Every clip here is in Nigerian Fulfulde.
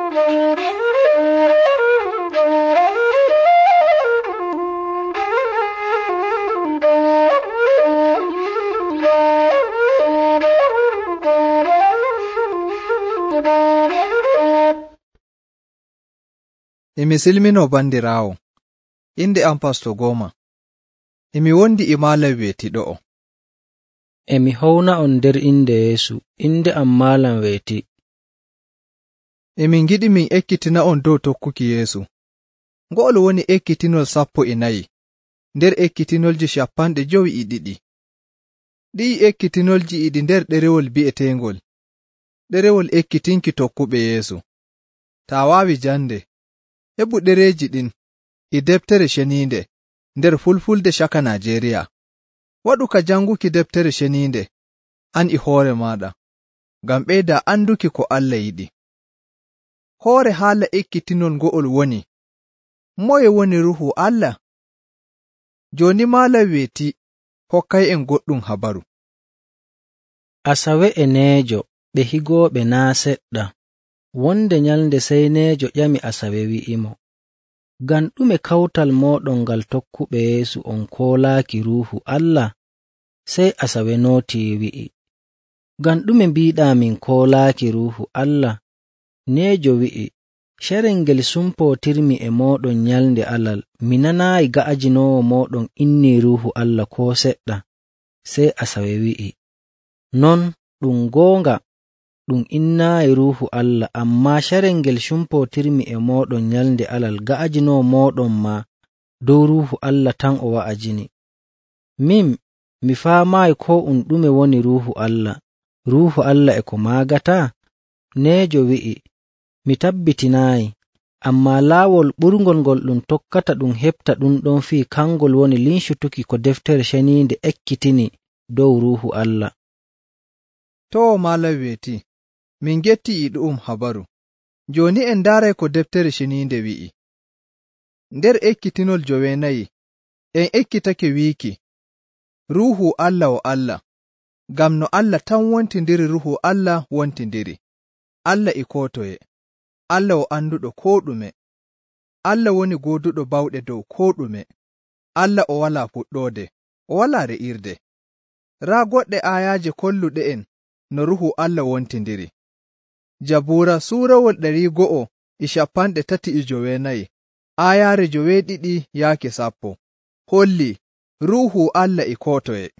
Emi silmino bandiraawo, inde am Pasto Goma. Emi wondi e maalam weetiɗo'o. Emi howna on nder inde Yeesu, inde am maalam weeti. Emin ngiɗi min ekkitina on dow tokkuki Yeesu. Ngo'ol woni ekkitinol 14 nder ekkitinolji 52. Ɗi'i ekkitinolji e ɗi nder ɗerewol bi'eteengol ɗerewol ekkitinki tokkuɓe Yeesu. Taa waawi jande, heɓu ɗereeji ɗin e deftere ceniinde nder Fulfulde caka Najeriya. Waɗu ka janguki deftere ceniinde an e hoore maaɗa, ngam ɓeyda anduki ko Allah yiɗi. Hoore haala ekkitinol ngo'ol woni: moye woni Ruuhu Allah? Jooni maalam weeti hokkay'en goɗɗum habaru. Asawe e Neejo ɓe higooɓe naa seɗɗa. Wonde nyalnde sey Neejo ƴami Asawe wi'imo, ngam ɗume kawtal mooɗon ngal tokkuɓe Yeesu on koolaaki Ruuhu Allah? Sey Asawe nootii wi'i, ngam ɗume mbiiɗaa min koolaaki Ruuhu Allah? Neejo wi'i, carel ngel sumpootirmi e mooɗon nyalnde Alal, mi nanaayi ga'ajinoowo mooɗon innii Ruuhu Allah koo seɗɗa. Sey Asawe wi'i, non ɗum goonga, ɗum innaayi Ruuhu Allah, ammaa carel ngel sumpootirmi e mooɗon nyalnde Alal ga'ajinoo mooɗon maa dow Ruuhu Allah tan o wa'ajini. Min, mi faamaayi koo ɗume woni Ruuhu Allah. Ruuhu Allah e ko maagataa? Neejo wi'i, mi tabbitinaayi, ammaa laawol ɓurngol ngol ɗum tokkata ɗum heɓta ɗum ɗon fii kangol woni lincutuki ko deftere ceniinde ekkitini dow Ruuhu Allah. To maalam weeti, min getti e ɗu'um habaru. Jooni en ndaaray ko deftere ceniinde wi'i. Nder ekkitinol 9 en ekkitake wiiki, Ruuhu Allah o Allah, ngam no Allah tan wontindiri Ruuhu Allah wontindiri. Allah e koo toye, Allah o anduɗo koo ɗume, Allah woni gooduɗo bawɗe dow koo ɗume, Allah o walaa fuɗɗoode, o walaa re'irde. Raa goɗɗe aayaaje kolluɗe'en no Ruuhu Allah wontindiri. Jabuura suurawol 139 aayaare 9-10 hollii Ruuhu Allah e koo toye.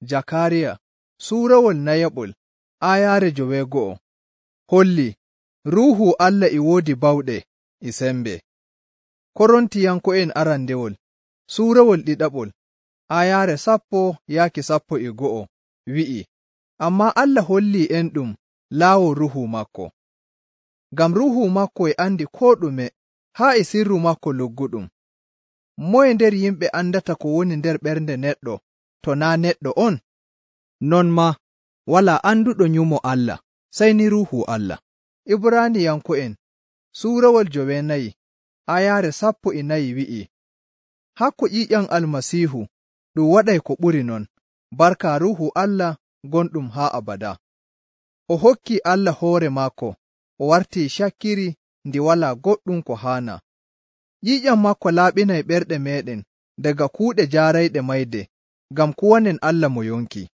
Jakaariya suurawol 4 aayaare 9 hollii Ruuhu Allah e woodi bawɗe e sembe. Korontiyanko'en arandewol suurawol 2 aayaare 10-11 wi'i, ammaa Allah hollii en ɗum laawol Ruuhu makko. Ngam Ruuhu makko e andi koo ɗume haa e sirru makko lugguɗum. Moye nder yimɓe andata ko woni nder ɓernde neɗɗo to naa neɗɗo on? Non maa walaa anduɗo nyumo Allah sey ni Ruuhu Allah. Ibraaniyanko'en suurawol 9 aayaare 14 wi'i, hakko ƴiƴam Almasiihu ɗum waɗay ko ɓuri non, barka Ruuhu Allah gonɗum haa abada. O hokkii Allah hoore maako, o wartii cakkiri ndi walaa goɗɗum ko haana. Ƴiƴam maako laaɓinay ɓerɗe meeɗen daga kuuɗe jaarayɗe mayde, ngam kuwanen Allah mo yonki.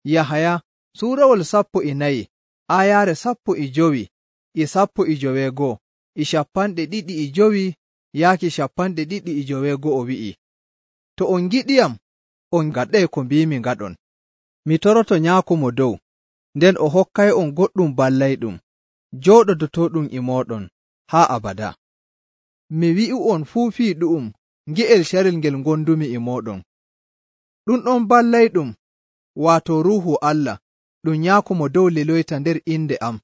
Yahaya suurawol 14 aayaare 15-19 e 25 yaaki 29 wi'i, to on ngiɗiyam, on ngaɗay ko mbiimi ngaɗon. Mi toroto Nyaako mo dow, nden o hokkay'on goɗɗum ballayɗum, jooɗodotoɗum e mooɗon haa abada. Mi wi'u'on fuu fii ɗu'um nge'el carel ngel ngondumi e mooɗon. Ɗum ɗon ballayɗum, waato Ruuhu Allah, ɗum Nyaako mo dow liloyta nder inde am,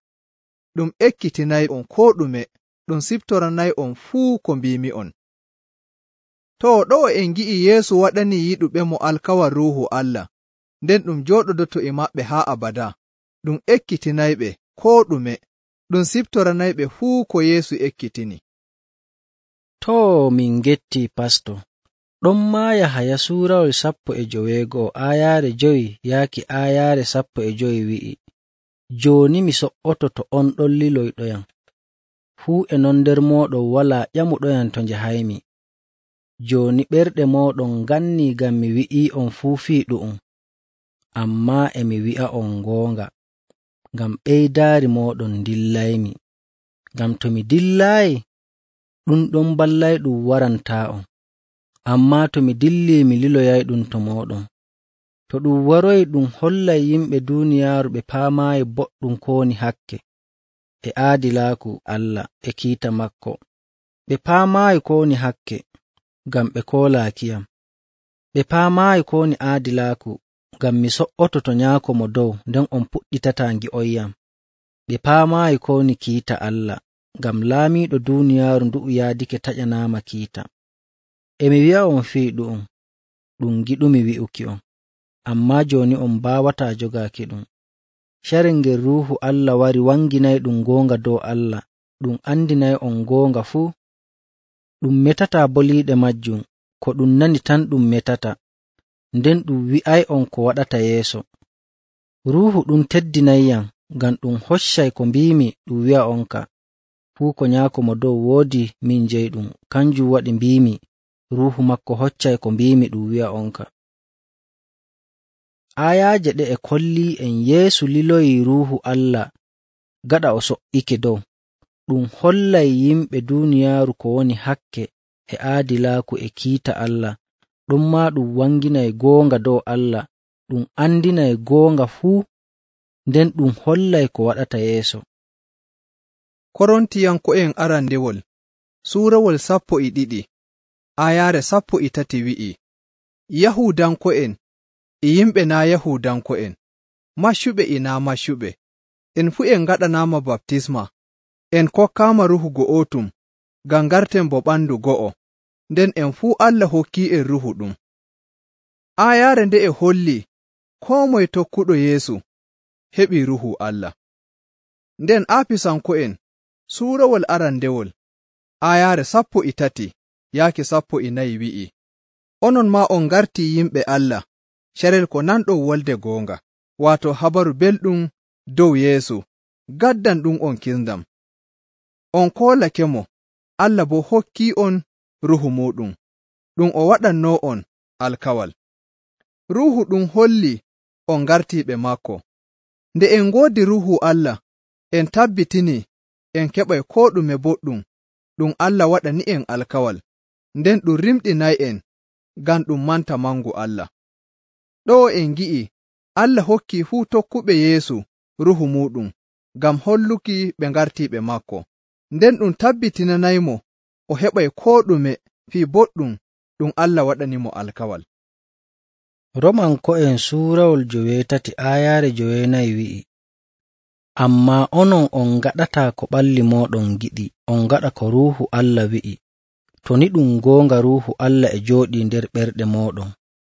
ɗum ekkitinay'on koo ɗume, ɗum siftoranay'on fuu ko mbiimi'on. To ɗo'o en ngi'i Yeesu waɗanii yiɗuɓe mo alkawal Ruuhu Allah, nden ɗum jooɗodoto e maɓɓe haa abada, ɗum ekkitinayɓe koo ɗume, ɗum siftoranayɓe fuu ko Yeesu ekkitini. To min getti Pasto, ɗon maa Yahaya suurawol 15 aayaare 5 yaaki aayaare 15 wi'i, jooni mi so'oto to on ɗon liloyɗoyam. fuu e non nder mooɗon walaa ƴamuɗoyam to njahaymi. Jooni ɓerɗe mooɗon ngannii ngam mi wi'ii'on fuu fii ɗu'um, ammaa e mi wi'a'on goonga, ngam ɓeydaari mooɗon dillaymi. Ngam to mi dillaayi, ɗum ɗon ballayɗum warantaa'on, ammaa to mi dillii mi liloyayɗum to mooɗon. To ɗum waroyi ɗum hollay yimɓe duuniyaaru ɓe paamaayi boɗɗum ko woni hakke e aadilaaku Allah e kiita maako. Ɓe paamaayi ko woni hakke ngam ɓe koolaakiyam. Ɓe paamaayi ko woni aadilaaku ngam mi so''oto to Nyaako Mo Dow nden on puɗɗitataa ngi'oyyam. Ɓe paamaayi ko woni kiita Allah ngam laamiiɗo duuniyaaru ndu'u yaadake taƴanaama kiita. E mi wi'a'on fii ɗu'um, ɗum giɗumi wi'uki'on, ammaa jooni on mbaawataa jogaaki ɗum. Carel ngel Ruuhu Allah wari wanginayɗum goonga dow Allah, ɗum andinay'on goonga fuu. Ɗum metataa boliiɗe majjum, ko ɗum nani tan ɗum metata, nden ɗum wi'ay'on ko waɗata yeeso. Ruuhu ɗum teddinayyam ngam ɗum hoccay ko mbiimi ɗum wi'a'onka. Fuu ko Nyaako Mo Dow woodi min jeyɗum, kanjum waɗi mbiimi Ruuhu maako hoccay ko mbiimi ɗum wi'a'onka. Aayaaje ɗe e kollii en Yeesu liloyii Ruuhu Allah gaɗa o so''ike dow. Ɗum hollay yimɓe duuniyaaru ko woni hakke e aadilaaku e kiita Allah, ɗonmaa ɗum wanginay goonga dow Allah, ɗum andinay goonga fuu, nden ɗum hollay ko waɗata yeeso. Korontiyanko'en arandewol suurawol 12 aayaare 13 wi'i, Yahuudanko'en e yimɓe naa Yahuudanko'en, maccuɓe e naa maccuɓe, en fuu en ngaɗanaama baptisma, en kokkaama Ruuhu go'otum ngam ngarten bo ɓandu go'o, nden en fuu Allah hokki'en Ruuhu ɗum. Aayaare nde'e holli koo moye tokkuɗo Yeesu heɓii Ruuhu Allah. Nden Aafisanko'en suurawol arandewol aayaare 13 yaaki 14 wi'i, onon maa on ngartii yimɓe Allah carel ko nanɗon wolde goonga, waato habaru belɗum dow Yeesu, gaddan ɗum on kisndam. On koolake-mo, Allah boo hokkii'on Ruuhu muuɗum, ɗum o waɗannoo'on alkawal. Ruuhu ɗum holli on ngartiiɓe maako. Nde en ngoodi Ruuhu Allah, en tabbitinii en keɓay koo ɗume boɗɗum ɗum Allah waɗani'en alkawal, nden ɗum rimɗinay'en ngam ɗum manta mangu Allah. Ɗoo en ngi'i Allah hokkii fuu tokkuɓe Yeesu Ruuhu muuɗum ngam holluki ɓe ngartiiɓe maako, nden ɗum tabbitinanaymo o heɓay koo ɗume fii boɗɗum ɗum Allah waɗanimo alkawal. Romanko'en suurawol 8 aayaare 9 wi'i, ammaa onon on ngaɗataa ko ɓalli mooɗon giɗi, on ngaɗa ko Ruuhu Allah wi'i. To ni ɗum goonga Ruuhu Allah e jooɗii nder ɓerɗe mooɗon,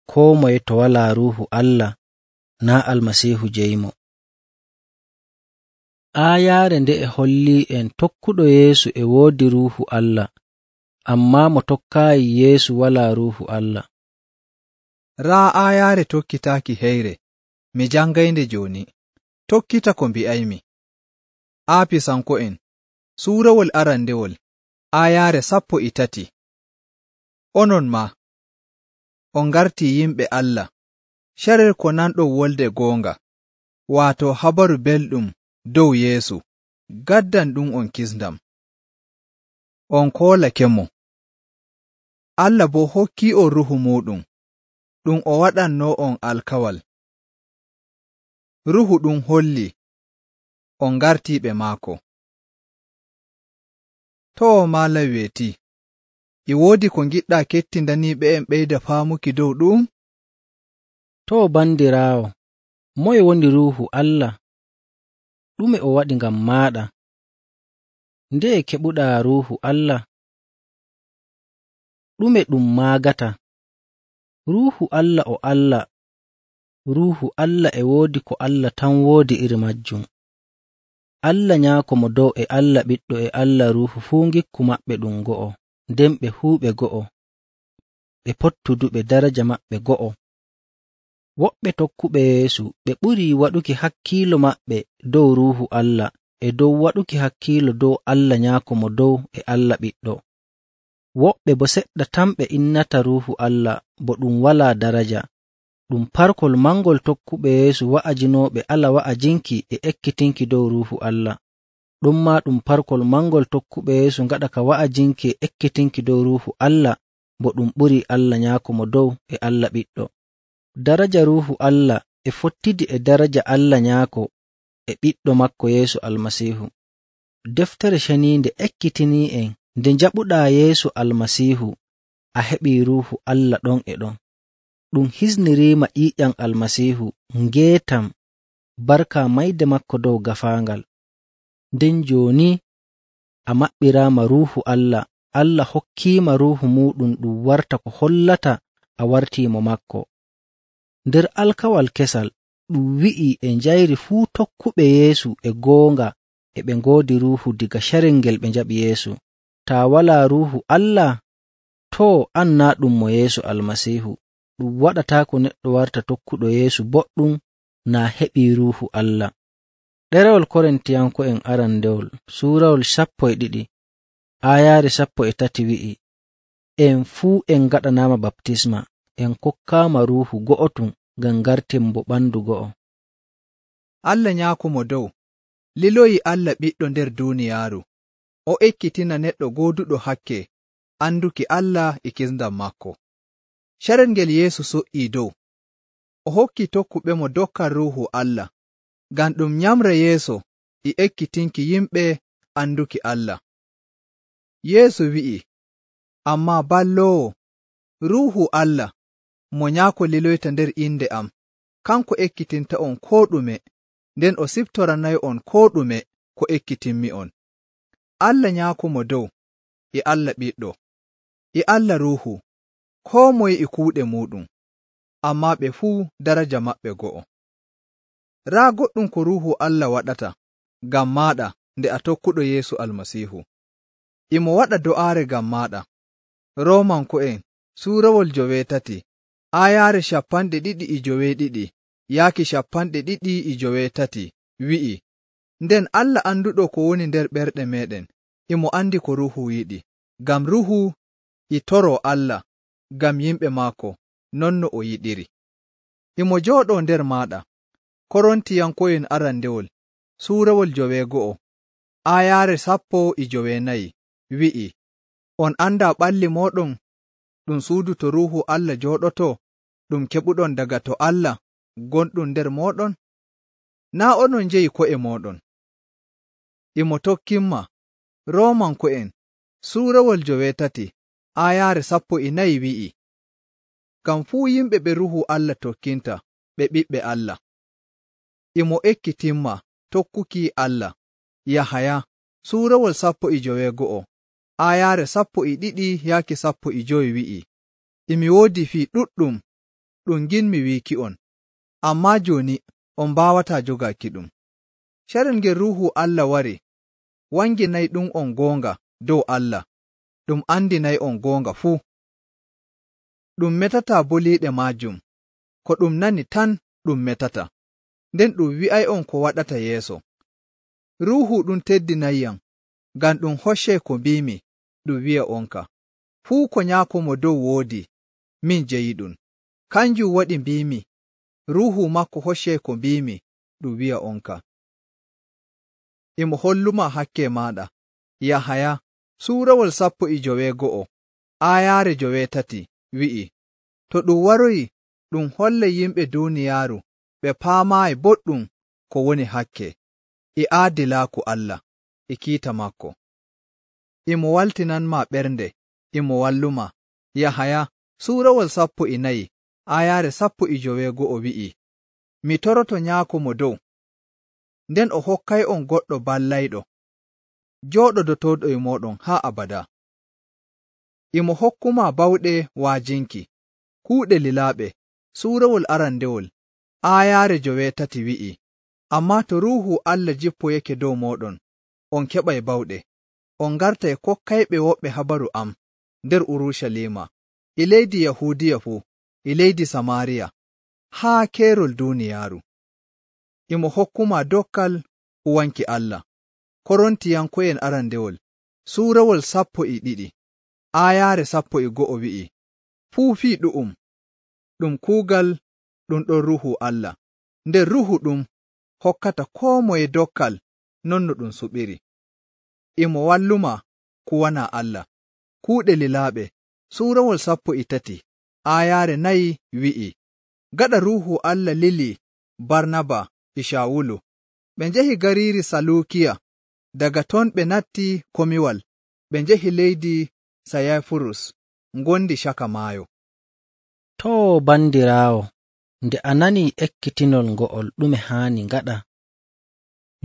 koo moye to walaa Ruuhu Allah naa Almasiihu jeyimo. Aayaare nde e hollii en tokkuɗo Yeesu e woodi Ruuhu Allah, ammaa mo tokkaayi Yeesu walaa Ruuhu Allah. Raa aayaare tokkitaaki heyre, mi jangaynde jooni, tokkita ko mbi'aymi. Aafisanko'en suurawol arandewol aayaare 13, onon maa on ngartii yimɓe Allah carel ko nanɗon wolde goonga, waato habaru belɗum dow Yeesu, gaddan ɗum on kisndam. On koolake-mo, Allah boo hokkii'on Ruuhu muuɗum, ɗum o waɗannoo'on alkawal. Ruuhu ɗum holli on ngartiiɓe maako. Too maala weeti, e woodi ko ngiɗɗaa kettindaniiɓe en ɓeyda faamuki dow ɗum? Too bandiraawo, moye woni Ruuhu Allah? Ɗume o waɗi ngam maaɗa? Ndeye keɓuɗaa Ruuhu Allah? Ɗume ɗum maagata? Ruuhu Allah o Allah. Ruuhu Allah e woodi ko Allah tan woodi iri majjum. Allah Nyaako Mo Dow e Allah Ɓiɗɗo e Allah Ruuhu fuu ngikku maɓɓe ɗum go'o, nden ɓe huuɓe go'o, ɓe pottuduɓe daraja maɓɓe go'o. Woɓɓe tokkuɓe Yeesu ɓe ɓurii waɗuki hakkiilo maɓɓe dow Ruuhu Allah e dow waɗuki hakkiilo dow Allah Nyaako Mo Dow e Allah Ɓiɗɗo. Woɓɓe bo seɗɗa tan ɓe innata Ruuhu Allah bo ɗum walaa daraja. Ɗum parkol mangol tokkuɓe Yeesu wa'ajinooɓe ala wa'ajinki e ekkitinki dow Ruuhu Allah. Ɗummaa ɗum parkol mangol tokkuɓe Yeesu ngaɗa ka wa'ajinki e ekkitinki dow Ruuhu Allah bo ɗum ɓurii Allah Nyaako Mo Dow e Allah Ɓiɗɗo. Daraja Ruuhu Allah e fottidi e daraja Allah Nyaako e Ɓiɗɗo maako Yeesu Almasiihu. Deftere Ceniinde ekkitinii'en nde njaɓuɗaa Yeesu Almasiihu a heɓii Ruuhu Allah ɗon e ɗon. Ɗum hisniriima ƴiiƴam Almasiihu ngeetam barka mayde makko dow gafaangal. Nden jooni a maɓɓiraama Ruuhu Allah, Allah hokkiima Ruuhu muuɗum ɗum warta ko hollata a wartiimo makko. Nder alkawal kesal ɗum wi'ii e njayri fuu tokkuɓe Yeesu e goonga e ɓe ngoodi Ruuhu diga carel ngel ɓe njaɓi Yeesu. Taa walaa Ruuhu Allah, too an naa ɗum mo Yeesu Almasiihu. Ɗum waɗataako neɗɗo warta tokkuɗo Yeesu boɗɗum naa heɓii Ruuhu Allah. Ɗerewol Korintiyanko'en arandewol suurawol 12 aayaare 13 wi'i, en fuu en ngaɗanaama baptisma, en kokkaama Ruuhu go'otum ngam ngarten bo ɓandu go'o. Allah Nyaako Mo Dow liloyi Allah Ɓiɗɗo nder duuniyaaru, o ekkitina neɗɗo gooduɗo hakke anduki Allah e kisndam maako. Carel ngel Yeesu so''ii dow, o hokki tokkuɓe mo dokkal Ruuhu Allah, ngam ɗum nyamra yeeso e ekkitinki yimɓe anduki Allah. Yeesu wi'i, ammaa balloowo, Ruuhu Allah, mo Nyaako liloyta nder inde am, kanko ekkitinta'on koo ɗume, nden o siftoranay'on koo ɗume ko ekkitinmi'on. Allah Nyaako Mo Dow e Allah Ɓiɗɗo e Allah Ruuhu, koo moye e kuuɗe muuɗum, ammaa ɓe fuu daraja maɓɓe go'o. Raa goɗɗum ko Ruuhu Allah waɗata ngam maaɗa nde a tokkuɗo Yeesu Almasiihu. Imo waɗa do'aare ngam maaɗa. Roomanko'en suurawol 13 aayaare 292 yaaki 293 wi'i, nden Allah anduɗo ko woni nder ɓerɗe meɗen, imo andi ko Ruuhu yiɗi, ngam Ruuhu e toroo Allah ngam yimɓe maako non no o yiɗiri. Imo jooɗoo nder maaɗa. Korintiyanko'en arandewol suurawol 9 aayaare 14 wi'i, on andaa ɓalli mooɗon ɗum suudu to Ruuhu Allah jooɗotoo, ɗum keɓuɗon daga to Allah gonɗum nder mooɗon? Naa onon njeyi ko'e mooɗon. Imo tokkimma. Roomanko'en suurawol 13 aayaare 14 wi'i, ngam fuu yimɓe ɓe Ruuhu Allah tokkinta ɓe ɓiɓɓe Allah. Imo ekkitimma tokkuki Allah. Yahaya suurawol 19 aayaare 12 yaaki 15 wi'i, imi woodi fii ɗuɗɗum ɗum nginmi wiiki'on, ammaa jooni on mbaawataa jogaaki ɗum. Carel ngel Ruuhu Allah wari wanginayɗum on goonga dow Allah, ɗum andinay'on goonga fuu. Ɗum metataa boliiɗe maajum, ko ɗum nani tan ɗum metata, nden ɗum wi'ay'on ko waɗata yeeso. Ruuhu ɗum teddinayyam, ngam ɗum hoccay ko mbiimi ɗum wi'a onka. Fuu ko Nyaako Mo Dow woodi, min jeyiɗum. Kanjum waɗi mbiimi, Ruuhu makko hoccay ko mbiimi ɗum wi'a onka. Imo holluma hakke maaɗa. Yahaya suurawol 19 aayaare 3 wi'i, to ɗum waroyi ɗum hollay yimɓe duuniyaaru ɓe paamaayi boɗɗum ko woni hakke, e aadilaaku Allah, e kiita makko. Imo waltinanmaa ɓernde, imo walluma. Yahaya suurawol 14 aayaare 19 wi'i, mi toroto Nyaako Mo Dow, nden o hokkay'on goɗɗo ballayɗo, jooɗodotooɗo e mooɗon haa abada. Imo hokkumaa bawɗe waajinki, kuuɗe lilaaɓe. Suurawol arandewol aayaare 3 wi'i, ammaa to Ruuhu Allah jippoyake dow mooɗon, on keɓay bawɗe. On ngartay kokkayɓe woɓɓe habaru am nder Urucaliima, e leydi Yahuudiya fuu, e leydi Samaariya, haa keerol duuniyaaru. Imo hokkumaa dokkal huwanki Allah. Korontiyanko'en arandewol suurawol 12 aayaare 11 wi'i, fuu fii ɗum kuugal ɗum ɗon Ruuhu Allah, nder Ruuhu ɗum hokkata koo moye dokkal non no ɗum suɓiri. Imo walluma kuwana Allah. Kuuɗe lilaaɓe suurawol 13 aayaare 4 wi'i, gaɗa Ruuhu Allah lili Barnaba e Shawulu, ɓe njehi gariiri Saluukiya. Daga ton ɓe natti komiwal, ɓe njehi leydi Sayafurus ngondi caka maayo. Too bandiraawo, nde a nanii ekkitinol ngo'ol ɗume haani ngaɗa?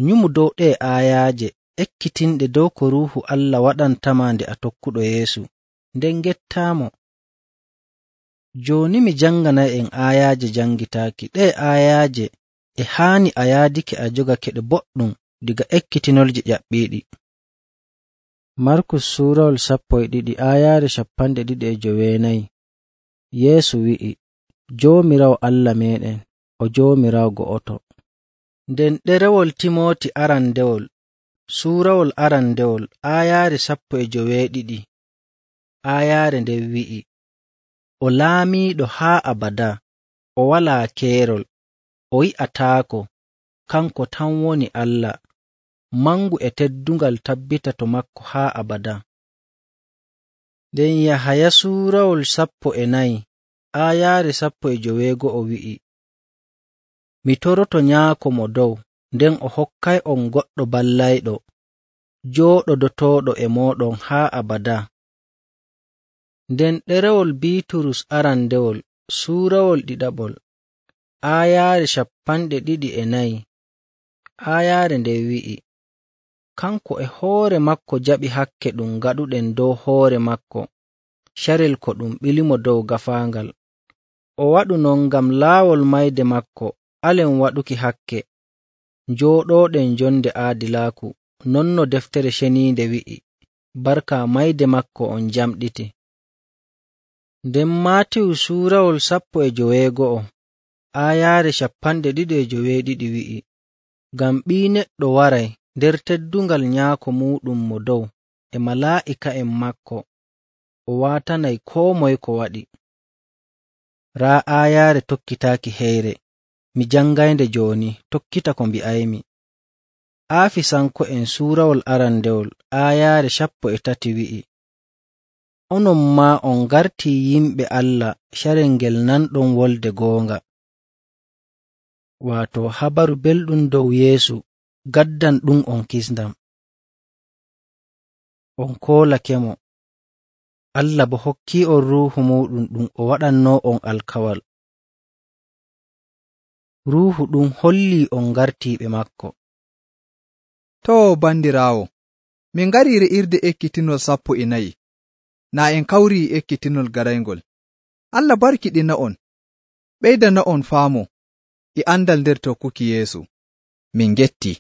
Nyumu dow ɗee aayaaje ekkitinɗe dow ko Ruuhu Allah waɗantama nde a tokkuɗo Yeesu, nden gettaamo. Jooni mi janganay'en aayaaje jangitaaki. Ɗee aayaaje e haani a yaadake a jogake ɗe boɗɗum diga ekkitinolji ƴaɓɓiiɗi. Markus suurawol 12 aayaare 29. Yeesu wi'i, Joomiraawo Allah meeɗen o Joomiraawo go'oto. Nden ɗerewol Timooti arandewol suurawol arandewol aayaare 12 aayaare nden wi'i, o laamiiɗo haa abada, o walaa keerol, o yi'ataako, kanko tan woni Allah, mangu e teddungal tabbita to makko haa abada. Nden Yahaya suurawol 14 aayaare 15 wi'i, mi toroto Nyaako mo dow, nden o hokkay'on goɗɗo ballayɗo, jooɗodotooɗo e mooɗon haa abada. Nden ɗerewol Biiturus arandewol suurawol 2 aayaare 24 aayaare nde wi'i, kanko e hoore makko jaɓi hakke ɗum gaɗuɗen dow hoore makko, carel ko ɗum ɓilimo dow gafaangal. O waɗu non ngam laawol mayde makko alen waɗuki hakke, njooɗooɗen jonde aadilaaku, non no deftere ceniinde wi'i, barka mayde makko on jamɗiti. Nden Maatiyu suurawol 19 aayaare 22 wi'i, ngam Ɓii Neɗɗo waray nder teddungal Nyaako muuɗum mo dow e malaa'ika'en makko, o waatanay koo moye ko waɗi. Raa aayaare tokkitaaki heyre, mi jangaynde jooni, tokkita ko mbi'aymi. Aafisanko'en suurawol arandewol aayaare 13 wi'i, onon maa on ngartii yimɓe Allah carel ngel nanɗon wolde goonga, waato habaru belɗum dow Yeesu gaddan ɗum on kisndam. On koolakemo, Allah bo hokkii on Ruuhu muuɗum ɗum o waɗannoo on alkawal. Ruuhu ɗum hollii on ngartiiɓe makko. Too bandiraawo, min ngarii re'irde ekkitinol 14, naa en kawrii ekkitinol garayngol. Allah barkiɗina on, ɓeydana on faamu e andal nder tokkuki Yeesu. Min gettii.